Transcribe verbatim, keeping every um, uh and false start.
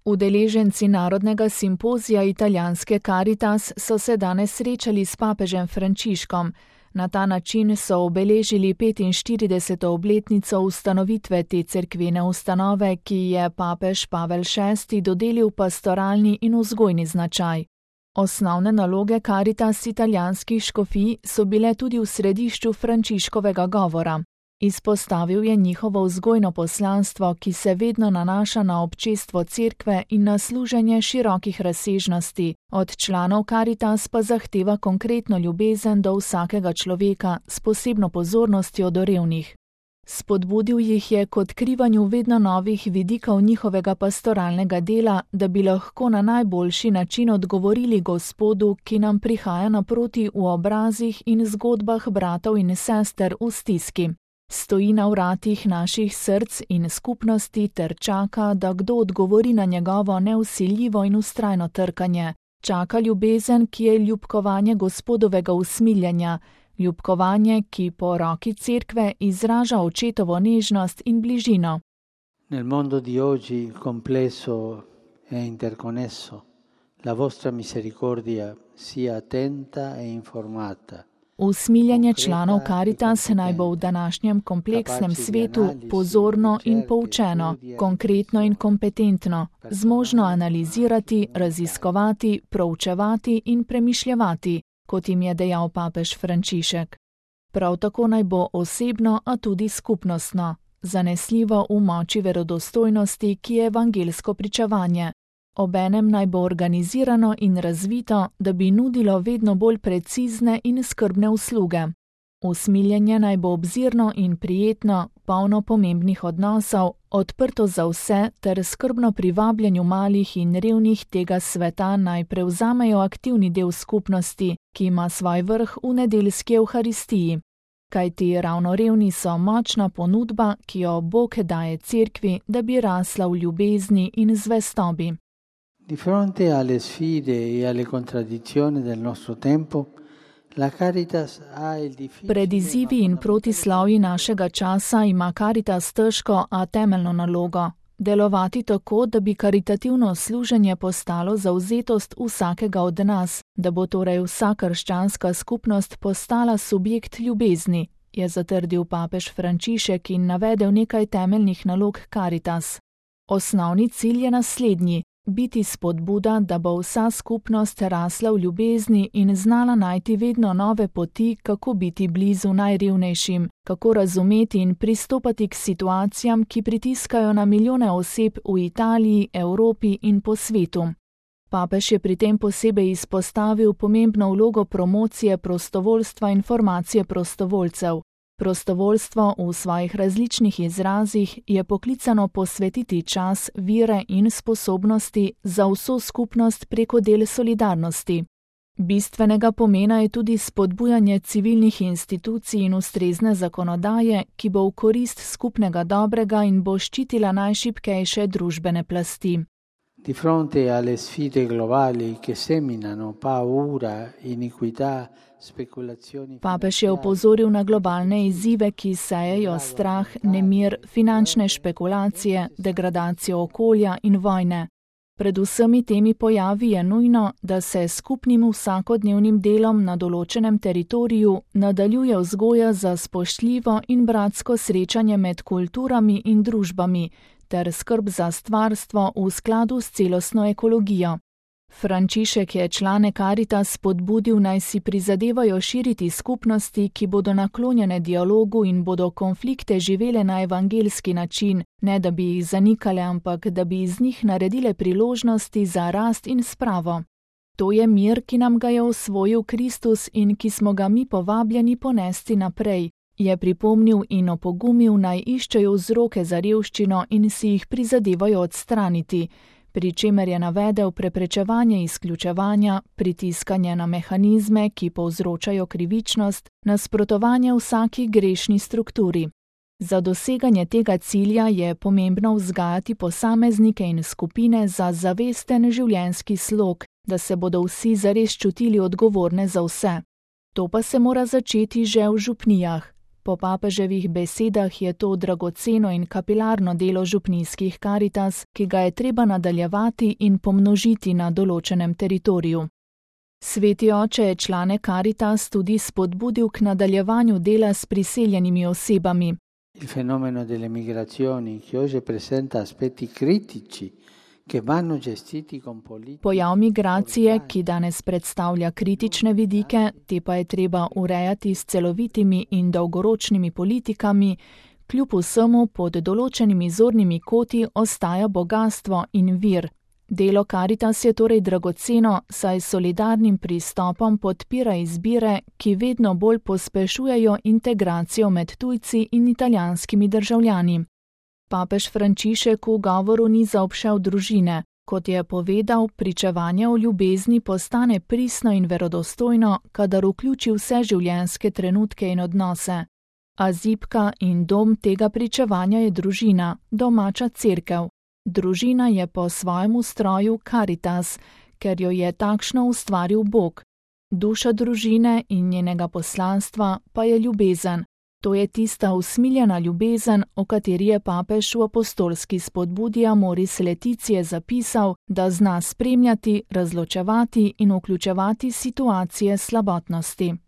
Udeleženci narodnega simpozija italijanske Caritas so se danes srečali s papežem Frančiškom. Na ta način so obeležili petinštirideseto obletnico ustanovitve te cerkvene ustanove, ki je papež Pavel šesti dodelil pastoralni in vzgojni značaj. Osnovne naloge Caritas italijanskih škofij so bile tudi v središču Frančiškovega govora. Izpostavil je njihovo vzgojno poslanstvo, ki se vedno nanaša na občestvo cerkve in na služenje širokih razsežnosti. Od članov Caritas pa zahteva konkretno ljubezen do vsakega človeka s posebno pozornostjo do revnih. Spodbudil jih je k odkrivanju vedno novih vidikov njihovega pastoralnega dela, da bi lahko na najboljši način odgovorili Gospodu, ki nam prihaja naproti v obrazih in zgodbah bratov in sester v stiski. Stoji na vratih naših src in skupnosti ter čaka, da kdo odgovori na njegovo nevsiljivo in vztrajno trkanje. Čaka ljubezen, ki je ljubkovanje Gospodovega usmiljenja, ljubkovanje, ki po roki cerkve izraža očetovo nežnost in bližino. Nel mondo di oggi complesso e interconnesso, la vostra misericordia sia attenta e informata. Usmiljenje članov Caritas naj bo v današnjem kompleksnem svetu pozorno in poučeno, konkretno in kompetentno, zmožno analizirati, raziskovati, proučevati in premišljevati, kot jim je dejal papež Frančišek. Prav tako naj bo osebno, a tudi skupnostno, zanesljivo v moči verodostojnosti, ki je evangelsko pričevanje. Obenem naj bo organizirano in razvito, da bi nudilo vedno bolj precizne in skrbne usluge. Usmiljenje naj bo obzirno in prijetno, polno pomembnih odnosov, odprto za vse ter skrbno privabljanju malih in revnih tega sveta naj prevzamejo aktivni del skupnosti, ki ima svoj vrh v nedeljski evharistiji. Kajti ravno revni so močna ponudba, ki jo Bog daje cerkvi, da bi rasla v ljubezni in zvestobi. Di fronte alle sfide e alle contraddizioni del nostro tempo, la Caritas ha il difficile... Pred izzivi in protislovji našega časa ima Caritas težko, a temeljno nalogo. Delovati tako, da bi karitativno služenje postalo zavzetost vsakega od nas, da bo torej vsa krščanska skupnost postala subjekt ljubezni, je zatrdil papež Frančišek in navedel nekaj temeljnih nalog Caritas. Osnovni cilj je naslednji. Biti spodbuda, da bo vsa skupnost rasla v ljubezni in znala najti vedno nove poti, kako biti blizu najrevnejšim, kako razumeti in pristopati k situacijam, ki pritiskajo na milijone oseb v Italiji, Evropi in po svetu. Papež je pri tem posebej izpostavil pomembno vlogo promocije prostovoljstva in formacije prostovoljcev. Prostovoljstvo v svojih različnih izrazih je poklicano posvetiti čas, vire in sposobnosti za vso skupnost preko del solidarnosti. Bistvenega pomena je tudi spodbujanje civilnih institucij in ustrezne zakonodaje, ki bo v korist skupnega dobrega in bo ščitila najšibkejše družbene plasti. Di fronte alle sfide globali che seminano paura, iniquità, speculazioni. Papež je opozoril na globalne izzive, ki sejejo strah, nemir, finančne špekulacije, degradacijo okolja in vojne. Pred vsemi temi pojavi je nujno, da se skupnim vsakodnevnim delom na določenem teritoriju nadaljuje vzgoja za spoštljivo in bratsko srečanje med kulturami in družbami, ter skrb za stvarstvo v skladu s celostno ekologijo. Frančišek je člane Caritas spodbudil, naj si prizadevajo širiti skupnosti, ki bodo naklonjene dialogu in bodo konflikte živele na evangelski način, ne da bi jih zanikale, ampak da bi iz njih naredile priložnosti za rast in spravo. To je mir, ki nam ga je osvojil Kristus in ki smo ga mi povabljeni ponesti naprej, je pripomnil in opogumil, naj iščejo vzroke za revščino in si jih prizadevajo odstraniti, pri čemer je navedel preprečevanje izključevanja, pritiskanje na mehanizme, ki povzročajo krivičnost, nasprotovanje vsaki grešni strukturi. Za doseganje tega cilja je pomembno vzgajati posameznike in skupine za zavesten življenjski slog, da se bodo vsi zares čutili odgovorne za vse. To pa se mora začeti že v župnijah. Po papeževih besedah je to dragoceno in kapilarno delo župnijskih Karitas, ki ga je treba nadaljevati in pomnožiti na določenem teritoriju. Sveti oče je člane Karitas tudi spodbudil k nadaljevanju dela s priseljenimi osebami. Il fenomeno delle migrazioni che oggi presenta aspetti critici che vanno gestiti con politiche. Pojav migracije, ki danes predstavlja kritične vidike, te pa je treba urejati s celovitimi in dolgoročnimi politikami, kljub vsemu pod določenimi zornimi koti ostaja bogastvo in vir. Delo Karitas je torej dragoceno, saj s solidarnim pristopom podpira izbire, ki vedno bolj pospešujejo integracijo med tujci in italijanskimi državljani. Papež Frančišek v govoru ni zaobšel družine. Kot je povedal, pričevanje o ljubezni postane pristno in verodostojno, kadar vključi vse življenjske trenutke in odnose. A zibka in dom tega pričevanja je družina, domača cerkev. Družina je po svojem ustroju Karitas, ker jo je takšno ustvaril Bog. Duša družine in njenega poslanstva pa je ljubezen. To je tista usmiljena ljubezen, o kateri je papež v apostolski spodbudi Amoris Laetitia zapisal, da zna spremljati, razločevati in vključevati situacije slabotnosti.